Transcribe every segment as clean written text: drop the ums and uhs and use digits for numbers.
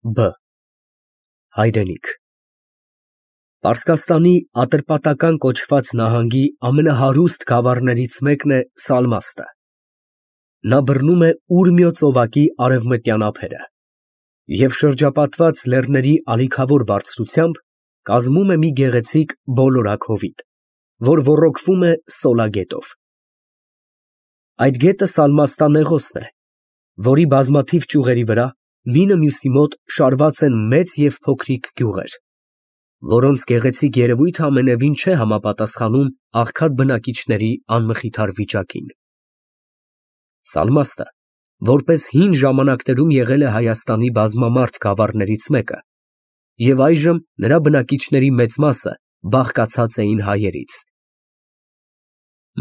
Բ Հայրենիք Պարսկաստանի Ատրպատական կոչված նահանգի ամենահարուստ գավառներից մեկն է Սալմաստը։ Նա բռնում է Ուրմիո ծովակի արևմտյան ափերը և շրջապատված լեռների ալիքավոր բարձրությամբ կազմում է մի գեղեցիկ բոլորակ հովիտ, որ ոռոգվում է Սոլա գետով։ Այդ գետը Սալմաստա նեղոսն է, որի բազմաթիվ ճյուղերի վրա մինը մյուսի մոտ շարված են մեծ և փոքրիկ գյուղեր, որոնց գեղեցիկ երևույթը ամենևին չէ համապատասխանում աղքատ բնակիչների անմխիթար վիճակին։ Սալմաստը, որպես հին ժամանակներում եղել է Հայաստանի բազմամարդ գավառներից մեկը, և այժմ նրա բնակիչների մեծ մասը բաղկացած էին հայերից։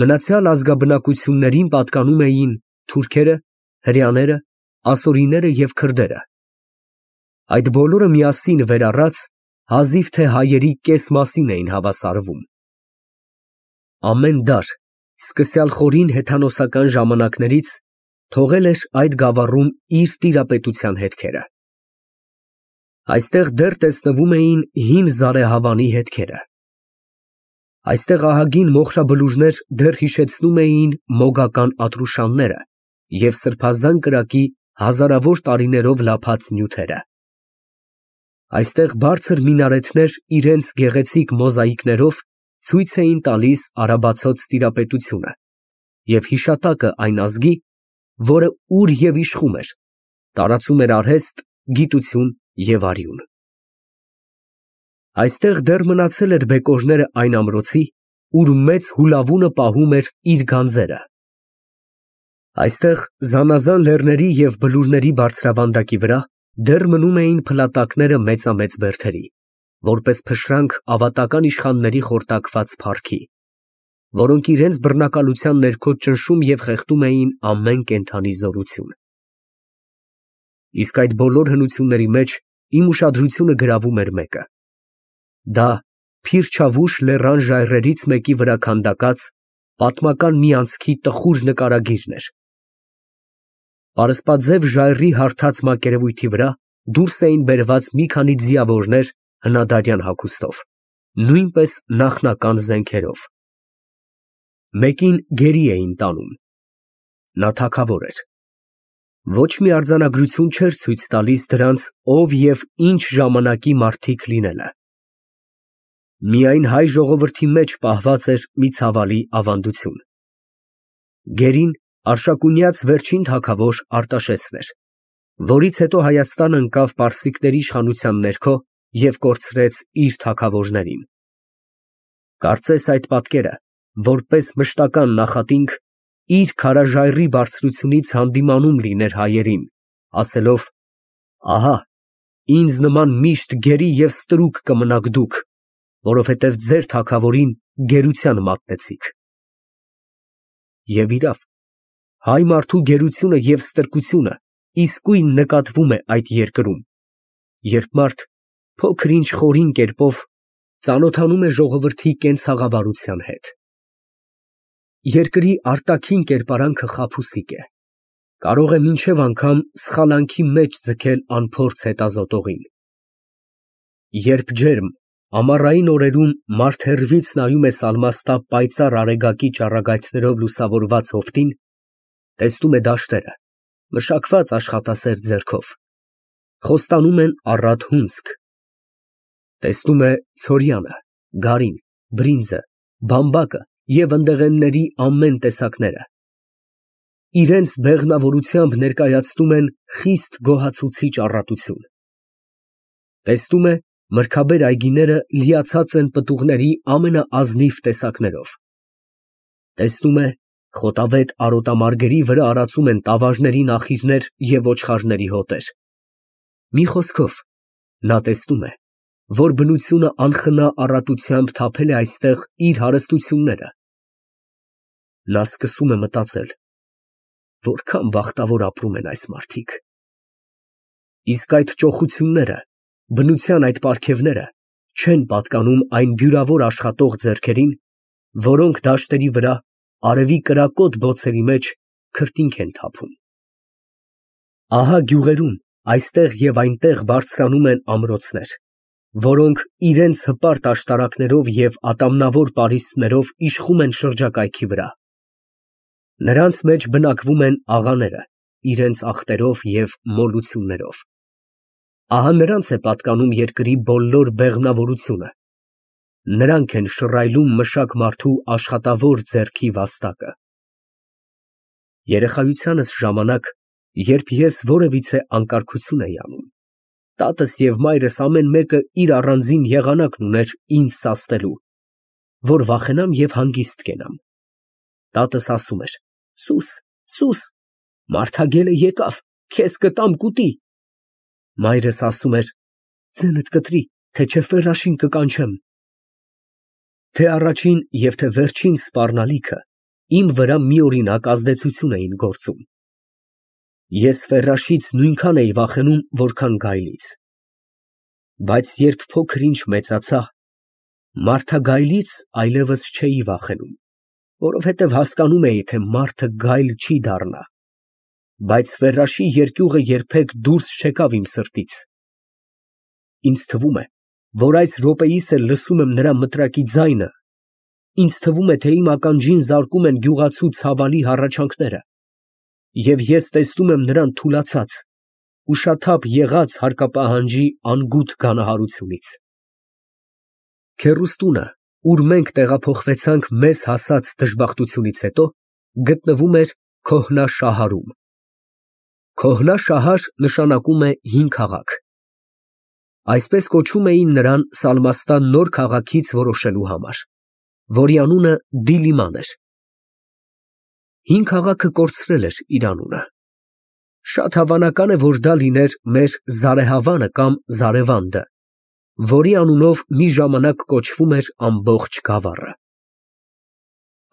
Մնացյալ ազգաբնակություններին պատկանում էին թուրքերը, հրեաները, ասորիները և քրդերը։ Այդ բոլորը միասին վերառած հազիվ թե հայերի կես մասին էին հավասարվում։ Ամեն դար, սկսյալ խորին հեթանոսական ժամանակներից, թողել էր այդ գավառում իր տիրապետության հետքերը։ Այստեղ դեռ տեսնվում էին հին զարեհավանի հետքերը։ Այստեղ ահագին մոխրաբլուրներ դեռ հիշեցնում էին մոգական ատրուշանները և սրբազան կրակի հազարավոր տարիներով լափած նյութերը։ Այստեղ բարձր մինարեթներ իրենց գեղեցիկ մոզաիկներով ցույց էին տալիս արաբացոց տիրապետությունը և հիշատակը այն ազգի, որը ուր և իշխում էր, տարածում էր արհեստ, գիտություն և արյուն։ Այստեղ դեռ մնացել էր բեկորները այն ամրոցի, ուր մեծ հուլավունը պահում էր իր գանձերը։ Այստեղ զանազան լեռների և բլուրների բարձրավանդակի վրա դեռ մնում էին փլատակները մեծամեծ բերդերի, որպես փշրանք ավատական իշխանների խորտակված փառքի, որոնք իրենց բռնակալության ներքո ճնշում և խեղդում էին ամեն կենդանի զորություն։ Իսկ այդ բոլոր հնությունների մեջ իմ ուշադրությունը գրավում էր մեկը. դա Փիրչավուշ լեռան ժայռերից մեկի վրա քանդակած պատմական մի անցքի տխուր նկարագիրն էր։ Պարսպաձև ժայռի հարթած մակերևույթի վրա դուրս էին բերված մի քանի ձիավորներ հնադարյան հագուստով, նույնպես նախնական զենքերով։ Մեկին գերի էին տանում։ Նա թագավոր էր։ Ոչ մի արձանագրություն չէր ցույց տալիս դրանց ով և ինչ ժամանակի մարդիկ լինելը։ Միայն հայ ժողովրդի մեջ պահված էր մի ցավալի ավանդություն. գերին Արշակունյաց վերջին թագավոր Արտաշեսն էր, որից հետո Հայաստան ընկավ պարսիկների իշխանության ներքո և կորցրեց իր թագավորներին։ Կարծես այդ պատկերը, որպես մշտական նախատինք, իր քարաժայռի բարձրությունից հանդիմանում լիներ հայերին, ասելով. «Ահա, ինձ նման միշտ գերի և ստրուկ կմնաք դուք, որովհետև ձեր թագավորին գերության մատնեցիք»։ Եվ իրավ, հայ մարդու գերությունը և ստրկությունը իսկույն նկատվում է այդ երկրում, երբ մարդ փոքր֊ինչ խորին կերպով ծանոթանում է ժողովրդի կենցաղավարության հետ։ Երկրի արտաքին կերպարանքը խաբուսիկ է, կարող է մինչև անգամ սխալանքի մեջ ձգել անփորձ հետազոտողին։ Երբ ջերմ, ամառային օրերում մարդ հեռվից նայում է Սալմաստա պայծառ արեգակի ճառագայթներով լուսավորված հովտին, տեսնում է դաշտերը, մշակված աշխատասեր ձեռքով, խոստանում են առատ հունձք, տեսնում է ցորյանը, գարին, բրինձը, բամբակը և ընդեղենների ամեն տեսակները, իրենց բեղմնավորությամբ ներկայացնում են խիստ գոհացուցիչ առատություն, տեսնում է մրգաբեր այգիները լիացած են պտուղների ամենաազնիվ տեսակներով, տեսնում է խոտավետ արոտամարգերի վրա արածում են տավաժների նախիժներ և ոչխարների հոտեր, մի խոսքով, նա տեսնում է, որ բնությունը անխնա առատությամբ թափել է այստեղ իր հարստությունները։ Նա սկսում է մտածել. որքան բախտավոր ապրում են այս մարդիկ։ Իսկ այդ ճոխությունները, բնության այդ պարգևները չեն պատկանում այն բյուրավոր աշխատող ձեռքերին, որոնք դաշտերի վրա, արևի կրակոտ բոցերի մեջ քրտինք են թափում։ Ահա գյուղերում, Այստեղ և այնտեղ բարձրանում են ամրոցներ, որոնք իրենց հպարտ աշտարակներով և ատամնավոր պարիսպներով իշխում են շրջակայքի վրա։ Նրանց մեջ բնակվում են աղաները, իրենց ախտերով և մոլություններով։ Ահա նրանց է պատկանում երկրի բոլոր բեղմնավորությունը, նրանք են շռայլում մշակ մարդու աշխատավոր ձեռքի վաստակը։ Երեխայությանս ժամանակ, երբ ես որևիցե անկարգություն էի անում, տատս և մայրս ամեն մեկը իր առանձին եղանակն ուներ ինձ սաստելու, որ վախենամ և հանգիստ կենամ։ Տատս ասում էր. «Սուս, սուս, մարդագելը եկավ, քեզ կտամ կուտի»։ Մայրս ասում էր. «Ձենդ կտրի, թե չէ ֆեռաշին կկանչեմ»։ Թե առաջին և թե վերջին սպառնալիքը իմ վրա միօրինակ ազդեցություն էին գործում։ Ես ֆեռաշից նույնքան էի վախենում, որքան գայլից։ Բայց երբ փոքր ինչ մեծացա, մարդագայլից այլևս չէի վախենում, որովհետև հասկանում էի, թե մարդը գայլ չի դառնա, բայց ֆեռաշի երկյուղը երբեք դուրս չեկավ իմ սրտից։ Ինձ թվում է, որ այս րոպեիս էլ լսում եմ նրա մտրակի ձայնը, ինձ թվում է, թե իմ ականջին զարկում են գյուղացու ցավալի հառաչանքները, և ես տեսնում եմ նրան թուլացած, ուշաթափ եղած հարկապահանջի անգութ գանահարությունից։ Քեռուստունը, ուր մենք տեղափոխվեցանք մեզ հասած դժբախտությունից հետո, գտնվում էր Քոհնաշահարում։ Քոհնաշահար նշանակում է հին քաղաք։ Այսպես կոչում էին նրան Սալմաստան նոր քաղաքից որոշելու համար, որի անունը Դիլիման էր։ Հին քաղաքը կորցրել էր իր անունը։ Շատ հավանական է, որ դա լիներ մեր Զարեհավանը կամ Զարևանդը, որի անունով մի ժամանակ կոչվում էր ամբողջ գավառը։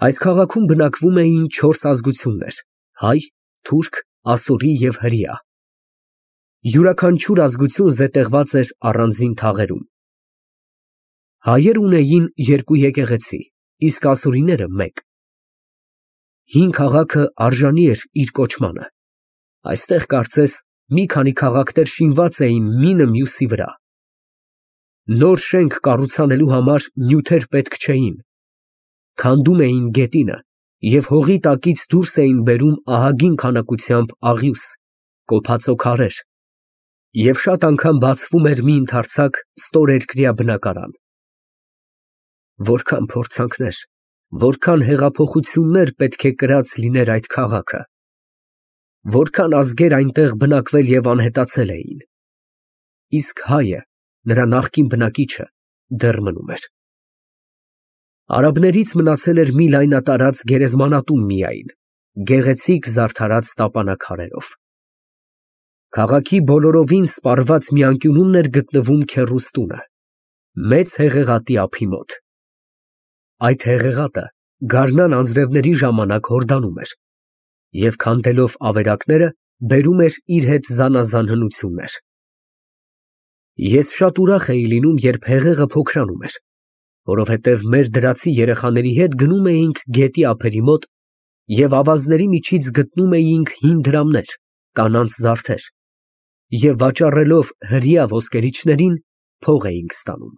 Այս քաղաքում բնակվում էին 4 ազգություններ՝ հայ, թուրք, ասորի և հրեա։ Յուրաքանչյուր ազգություն զետեղված էր առանձին թաղերում։ Հայերը ունեին 2 եկեղեցի, իսկ ասորիները՝ 1։ Հին քաղաքը արժանի էր իր կոչմանը։ Այստեղ կարծես մի քանի քաղաքներ շինված էին մինը մյուսի վրա։ Նոր շենք կառուցանելու համար նյութեր պետք չէին։ Քանդում էին գետինը և հողի տակից դուրս էին բերում ահագին քանակությամբ աղյուս, կոփածո քարեր, և շատ անգամ բացվում էր մի ընդարձակ ստորերկրյա բնակարան։ Որքան փորձանքներ, որքան հեղափոխություններ պետք է կրած լիներ այդ քաղաքը, որքան ազգեր այնտեղ բնակվել և անհետացել էին, իսկ հայը, նրա նախկին բնակիչը, դեռ մնում էր։ Արաբներից մնացել էր մի լայնատարած գերեզմանատուն միայն, գեղեցիկ զարդարած տապանաքարերով։ Քաղաքի բոլորովին սպառված մի անկյունում էր գտնվում քեռուստունը, մեծ հեղեղատի ափի մոտ։ Այդ հեղեղատը գարնան անձրևների ժամանակ հորդանում էր և քանդելով ավերակները բերում էր իր հետ զանազան հնություններ։ Ես շատ ուրախ էի լինում, երբ հեղեղը փոքրանում էր, որովհետև մեր դրացի երեխաների հետ գնում էինք գետի ափերի մոտ և ավազների միջից գտնում էինք հին դրամներ, կանանց զարդեր, և վաճառելով հրեա ոսկերիչներին փող էինք ստանում։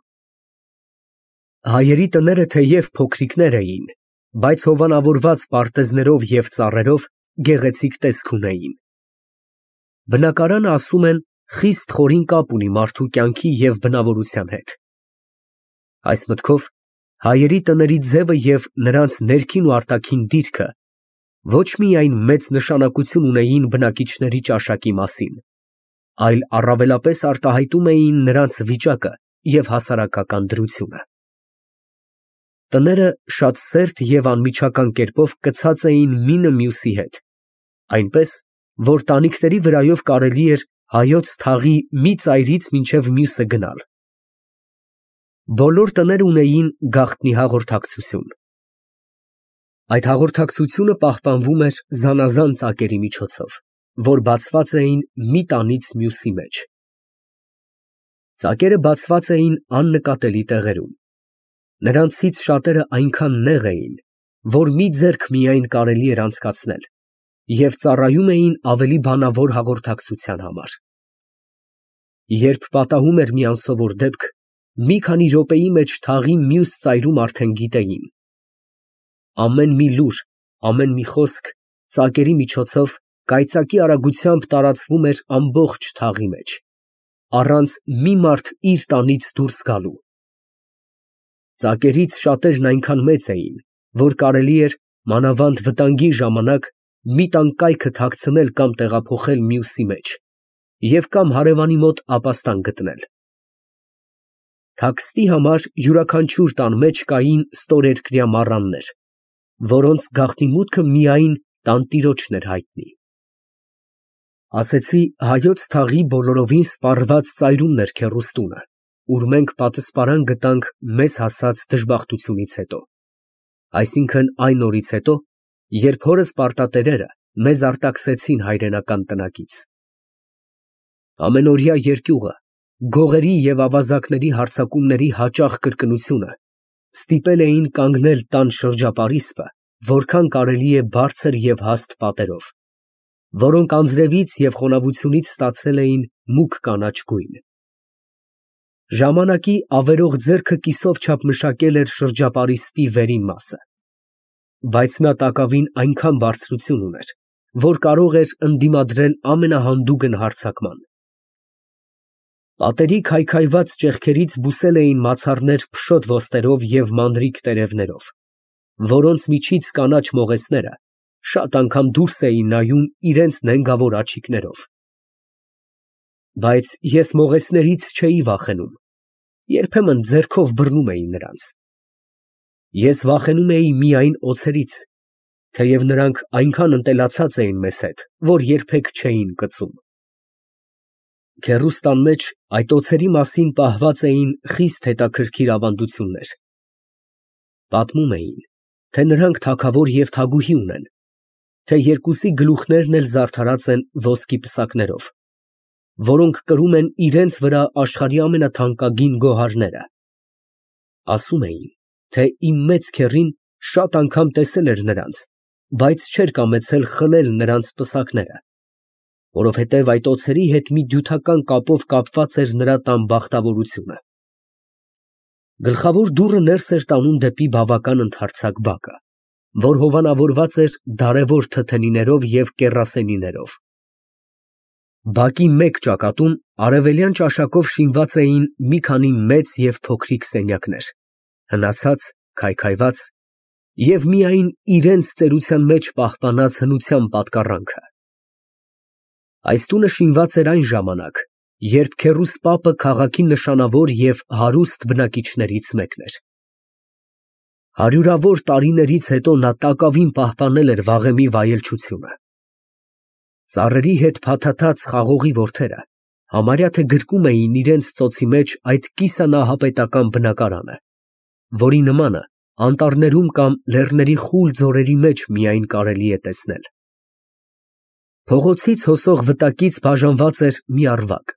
Հայերի տները թեև փոքրիկներ էին, բայց հովանավորված պարտեզներով և ծառերով գեղեցիկ տեսք ունեին։ Բնակարանը, ասում են, խիստ խորին կապ ունի մարդու կյանքի և բնավորության հետ։ Այս մտքով հայերի տների ձևը և նրանց ներքին ու արտաքին դիրքը ոչ միայն մեծ նշանակություն ունեին բնակիչների ճաշակի մասին, այլ առավելապես արտահայտում էին նրանց վիճակը և հասարակական դրությունը։ Տները շատ սերտ և անմիջական կերպով կցած էին մինը մյուսի հետ, այնպես, որ տանիքների վրայով կարելի էր հայոց թաղի մի ծայրից մինչև մյուսը գնալ։ Բոլոր տները ունեին գաղտնի հաղորդակցություն։ Այդ հաղորդակցությունը պահպանվում էր զանազան ծակերի միջոցով, որ բացված էին մի տանից մյուսի մեջ։ Ծակերը բացված էին աննկատելի տեղերում։ Նրանցից շատերը այնքան նեղ էին, որ մի ձեռք միայն կարելի էր անցկացնել, և ծառայում էին ավելի բանավոր հաղորդակցության համար։ Երբ պատահում էր մի անսովոր դեպք, մի քանի րոպեի մեջ թաղի մյուս ծայրում արդեն գիտեին։ Ամեն մի լուր, ամեն մի խոսք ծակերի միջոցով կայծակի արագությամբ տարածվում էր ամբողջ թաղի մեջ, առանց մի մարդ իր տանից դուրս գալու։ Ծակերից շատերն այնքան մեծ էին, որ կարելի էր, մանավանդ վտանգի ժամանակ, մի տան կայքը թաքցնել կամ տեղափոխել մյուսի մեջ և կամ հարևանի մոտ ապաստան գտնել։ Թաքստի համար յուրաքանչյուր տան մեջ կային ստորերկրյա մառաններ, որոնց գաղտնի մուտքը միայն տանտիրոջն էր հայտնի։ Ասեցի, հայոց թաղի բոլորովին սպառված ծայրումն էր քեռուս տունը, ուր մենք պատսպարան գտանք մեզ հասած դժբախտությունից հետո, այսինքն այն օրից հետո, երբ հորս պարտատերերը մեզ արտաքսեցին հայրենական տնակից։ Ամենօրյա երկյուղը, գողերի և ավազակների հարձակումների հաճախ կրկնությունը ստիպել էին կանգնել տան շրջապարիսպը, որքան կարելի է բարձր և հաստ պատերով, որոնք անձրևից և խոնավությունից ստացել էին մուգ կանաչ գույն։ Ժամանակի ավերող ձեռքը կիսով չափ մշակել էր շրջապարիսպի վերին մասը, բայց նա տակավին այնքան բարձրություն ուներ, որ կարող էր ընդդիմադրել ամենահանդուգն հարձակման։ Պատերի քայքայված ճեղքերից բուսել էին մացառներ փշոտ ոստերով և մանրիկ տերևներով, որոնց միջից կանաչ մողեսները շատ անգամ դուրս էին նայում իրենց նենգավոր աչիկներով։ Բայց ես մողեսներից չէի վախենում, երբեմն ձեռքով բռնում էի նրանց։ Ես վախենում էի միայն օձերից, թեև նրանք այնքան ընտելացած էին մեզ հետ, որ երբեք չէին կծում։ Քեռուս տան մեջ այդ օձերի մասին պահված էին խիստ հետաքրքիր ավանդություններ։ Պատմում էին, թե նրանք թագավոր և թագուհի ունեն, թե երկուսի գլուխներն էլ զարդարած են ոսկի պսակներով, որոնք կրում են իրենց վրա աշխարհի ամենաթանկագին գոհարները։ Ասում էին, թե իմ մեծ քեռին շատ անգամ տեսել էր նրանց, բայց չէր կամեցել խլել նրանց պսակները, որովհետև այդ օձերի հետ մի դյութական կապով կապված էր նրա տան բախտավորությունը։ Գլխավոր դուռը ներս էր տանում դեպի բավական ընդարձակ բակը, որ հովանավորված էր դարևոր թթենիներով և կեռասենիներով։ Բակի մեկ ճակատում արևելյան ճաշակով շինված էին մի քանի մեծ և փոքրիկ սենյակներ, հնացած, քայքայված և միայն իրենց ծերության մեջ պահպանած հնության պատկառանքը։ Այս տունը շինված էր այն ժամանակ, երբ քեռուս պապը քաղաքի նշանավոր և հարուստ բնակիչներից մեկն էր։ Հարյուրավոր տարիներից հետո նա տակավին պահպանել էր վաղեմի վայելչությունը։ Ծառերի հետ փաթաթած խաղողի որդերը համարյա թե գրկում էին իրենց ծոցի մեջ այդ կիսանահապետական բնակարանը, որի նմանը անտառներում կամ լեռների խուլ ձորերի մեջ միայն կարելի է տեսնել։ Փողոցից հոսող վտակից բաժանված էր մի առվակ,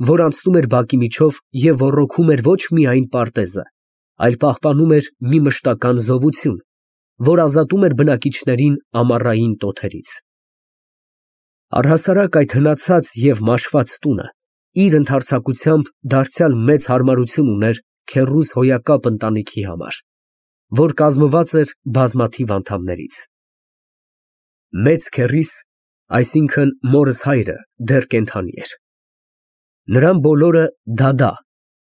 որ անցնում էր բակի միջով և ոռոգում էր ոչ միայն պարտեզը, այլ պահպանում էր մի մշտական զովություն, որ ազատում էր բնակիչներին ամառային տոթերից։ Առհասարակ այդ հնացած և մաշված տունը իր ընդարձակությամբ դարձյալ մեծ հարմարություն ուներ քեռուս հոյակապ ընտանիքի համար, որ կազմված էր բազմաթիվ անդամներից։ Մեծ քեռիս, այսինքն մորս հայրը, դեռ կենդանի էր։ Նրան բոլորը դադա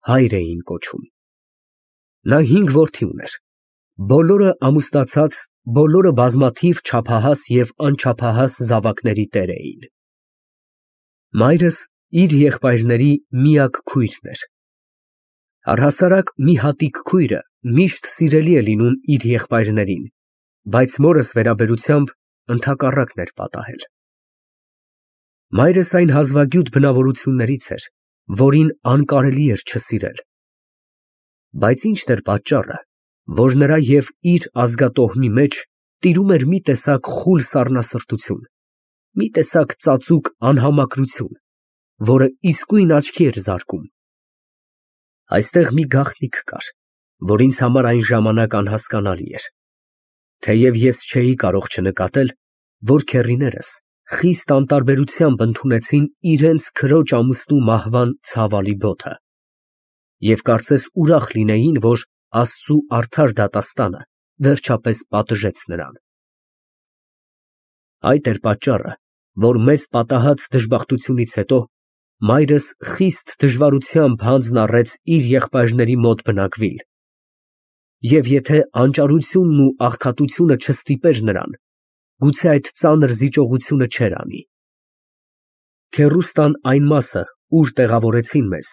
հայր էին կոչում։ Նա 5 որդի ուներ, բոլորը ամուսնացած, բոլորը բազմաթիվ չափահաս և անչափահաս զավակների տեր էին։ Մայրս իր եղբայրների միակ քույրն էր։ Առհասարակ մի հատիկ քույրը միշտ սիրելի է լինում իր եղբայրներին, բայց մորս վերաբերությամբ ընդհակառակն էր պատահել։ Մայրս այն հազվագյուտ բնավորություններից էր, որին անկարելի էր չսիրել։ Բայց ի՞նչն էր պատճառը, որ նրա և իր ազգատոհմի մեջ տիրում էր մի տեսակ խուլ սառնասրտություն, մի տեսակ ծածուկ անհամակրություն, որը իսկույն աչքի էր զարկում։ Այստեղ մի գաղտնիք կար, որ ինձ համար այն ժամանակ անհասկանալի էր, թեև ես չէի կարող չնկատել, որ քեռիներս խիստ անտարբերությամբ ընդունեցին իրենց քրոջ ամուսնու մահվան ցավալի բոթը և կարծես ուրախ լինեին, որ Աստծու արդար դատաստանը վերջապես պատժեց նրան։ Այդ էր պատճառը, որ մեծ պատահած դժբախտությունից հետո մայրս խիստ դժվարությամբ հանձն առեց իր եղբայրների մոտ բնակվիլ, և եթե անճարությունն ու աղքատությունը չստիպեր նրան, գուցե այդ ծանր զիջողությունը չէր անի։ Քեռուստան այն մասը, ուր տեղավորեցին մեզ,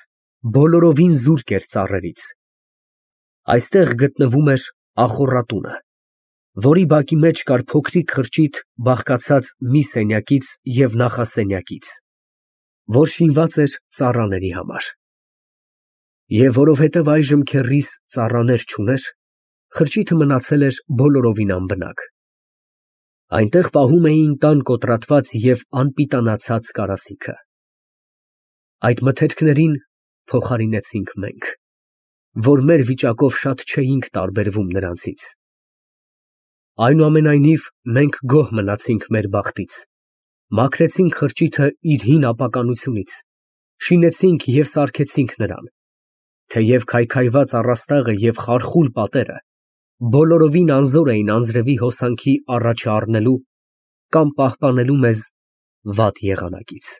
բոլորովին զուրկ էր ծառերից։ Այստեղ գտնվում էր ախոռատունը, որի բակի մեջ կար փոքրիկ խրճիթ բաղկացած մի սենյակից և նախասենյակից, որ շինված էր ծառաների համար։ Եվ որովհետև այժմ քեռիս ծառաներ չուներ, խրճիթը մնացել էր բոլորովին անբնակ։ Այնտեղ պահում էին տան կոտրատված և անպիտանացած կարասիքը։ Այդ մթերքներին փոխարինեցինք մենք, որ մեր վիճակով շատ չէինք տարբերվում նրանցից։ Այնուամենայնիվ, մենք գոհ մնացինք մեր բախտից, մաքրեցինք խրճիթը իր հին ապականությունից, շինեցինք և սարքեցինք նրան, թեև քայքայված առաստաղը և խարխուլ պատերը բոլորովին անզոր էին անձրևի հոսանքի առաջը առնելու կամ պահպանելու մեզ վատ եղանակից։